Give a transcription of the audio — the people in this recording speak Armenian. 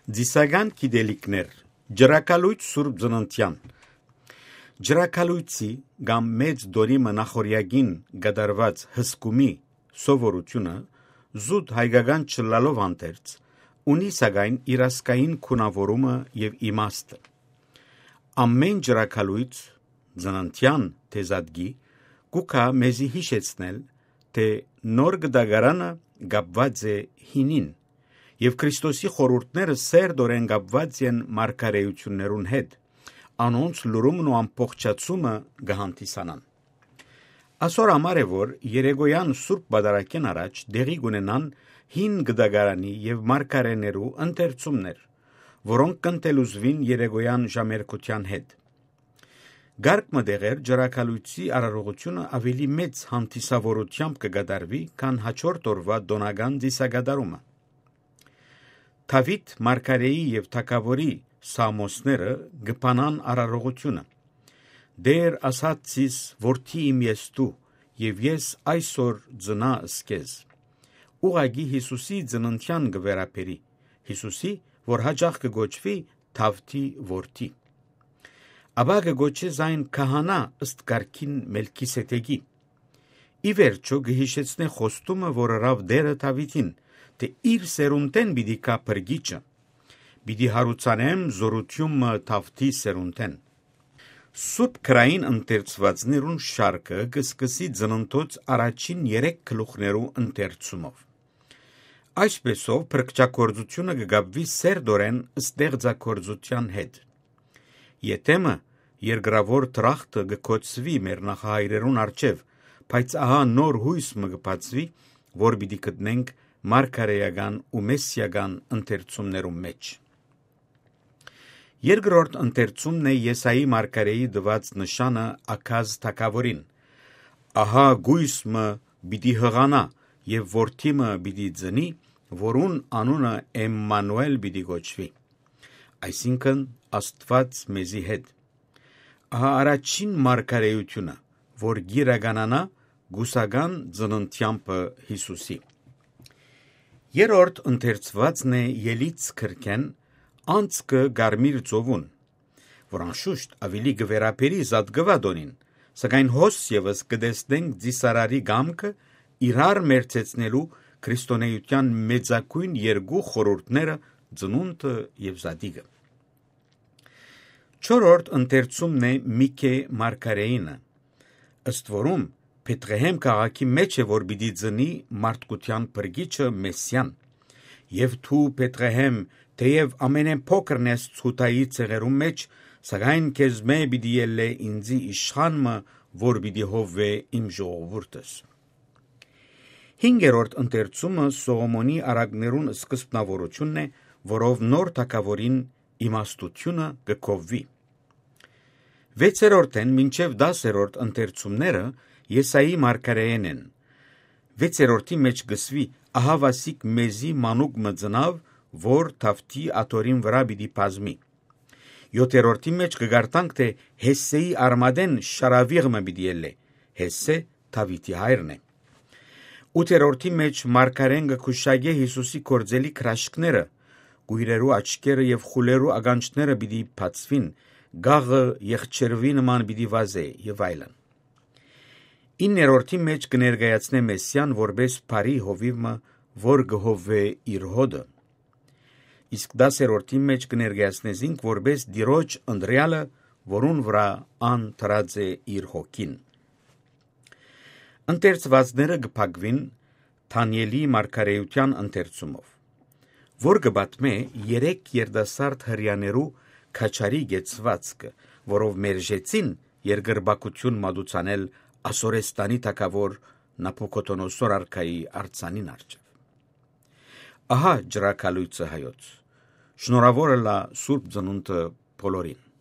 Ձիսական գիտելիքներ, ջրակալույց Սուրբ Ծննդյան, ջրակալույցի կամ մեծ դորիմը նախորյակին գդարված հսկումի սովորությունը զուտ հայկական չլալով անտերց, ունի սակայն իրասկային քունավորումը և իմաստը։ Ամեն ջրակալույց ծննդյան թեզադգի կուկա մեզի հիշեցնել, թե նոր գդագարանը գապված է հինին, և Քրիստոսի խորհուրդները սերտորեն կապված են մարգարեություններուն հետ, անոնց լուրումն ու ամբողջացումը կհանդիսանան։ Ասոր համար է, որ երեգոյան Սուրբ Պատարագեն առաջ դեղի կունենան հին գդագարանի և մարգարեներու ընթերցումներ, որոնք կընտելուզվին երեգոյան ժամերկության հետ։ Գարկմը դեղեր ջրակալույցի արարողությունը ավելի մեծ հանդիսավորությամբ կգադարվի, քան հաջորդ օրվա դոնական ծիսագադարումը։ Դավիթ մարգարեի և թագավորի սամոսները գպանան արարողությունը։ Դեր ասած ցիս որդի իմ ես դու, և ես այսօր ծնա սկեզ։ Ուղագի Հիսուսի ծննդյան գվերապերի, Հիսուսի, որ հաճախ կգոչվի Դավթի որդի։ Ապա կգոչես այն քահանա ըստ կարգին Մելքիսեդեկի։ Ի վերջո կհիշեցնե խոստումը, որ ըրավ դերը Դավիթին, թե իր սերունդեն պիտի կա փրկիչը, պիտի հարուցանեմ զորությունը Դավթի սերունդեն։ Սուրբ քրային ընթերցվածներուն շարքը կսկսի ծննդոց առաջին 3 գլուխներու ընթերցումով։ Այսպեսով փրկչագործությունը կգապվի սերտորեն ստեղծագործության հետ։ Եթեմը երկրավոր դրախտը կկոչվի մեր նախահայրերուն առջև, բայց ահա նոր հույս մը կբացվի, որ պիտի գտնենք մարգարեական ու մեսսիական ընթերցումներում մեջ։ Երկրորդ ընթերցումն է Եսայի մարգարեի տված նշանը Աքազ թագավորին. ահա գույսմը պիտի հղանա և որդիմը պիտի ծնի, որուն անունը Էմմանուել պիտի գոչվի, այսինքն Աստված մեզի հետ։ Ահա առաջին մարգարեությունը, որ գիրականանա գուսական ծննդյամբը Հիսուսի։ Երրորդ ընթերցվածն է Ելից քրքեն անցքը Գարմիր ծովուն, որ անշուշտ ավելի գվերապերի Զատգվադոնին, սակայն հոս ևս կտեսնենք ծիսարարի գամքը իրար մերձեցնելու քրիստոնեության մեծագույն երկու խորհուրդները՝ ծնունդը և Զատիկը։ Չորրորդ ընթերցումն է Միքե մարգարեինը, ըստ որում Բեթղեհեմ քաղաքի մեջ է, որ պիտի ծնի մարդկության փրկիչը Մեսսիան, և դու Բեթղեհեմ, թեև ամենափոքրն ես Յուդայի ցեղերում մեջ, սակայն քեզմե պիտի ելլե ինձի իշխանը, որ պիտի հովվե իմ ժողովուրդս։ Հինգերորդ ընթերցումը Սողոմոնի արակներուն սկզբնավորությունն է, որով նոր թագավորին իմաստությունը կգովվի։ 6-րդն մինչև 10-րդ ընթերցումները Եսայի մարգարեեն են։ 6-րդի մեջ գսվի ահա վասիկ մեզի մանուկ մը ծնավ, որ Դավթի աթոռին վրա պիտի բազմի։ 7-րդի մեջ կգարտանք, թե Հեսսեի արմատեն շարավիղմը պիտի ելլե, Հեսսե Դավիթի հայրն է։ 8-րդի մեջ մարգարեն կգուշակե Հիսուսի գործելի հրաշքները, գույրերու աչքերը և խուլերու ականջները պիտի բացվին, գաղը եղջերվի նման պիտի վազե և այլն։ 9-րդի մեջ կներկայացնե Մեսսիան որպես բարի հովիվը, որ կհովվե իր հոդը։ Իսկ 10-րդի մեջ կներկայացնեզինք որպես Տիրոջ ընտրյալը, որուն վրա ան դրած է իր հոգին։ Ընթերցվածները կփակվին Դանիելի մարգարեության ընթերցումով, որ կպատմե 3 երիտասարդ հրեաներու քաչարի գեցվածքը, որով մերժեցին երկրպագություն մատուցանել Ասորեստանի թագավոր Նաբուքոդոնոսոր արքայի արձանին առջև։ Ահա ջրակալույցը հայոց։ Շնորհավորը լա Սուրբ Ծնունդը բոլորին։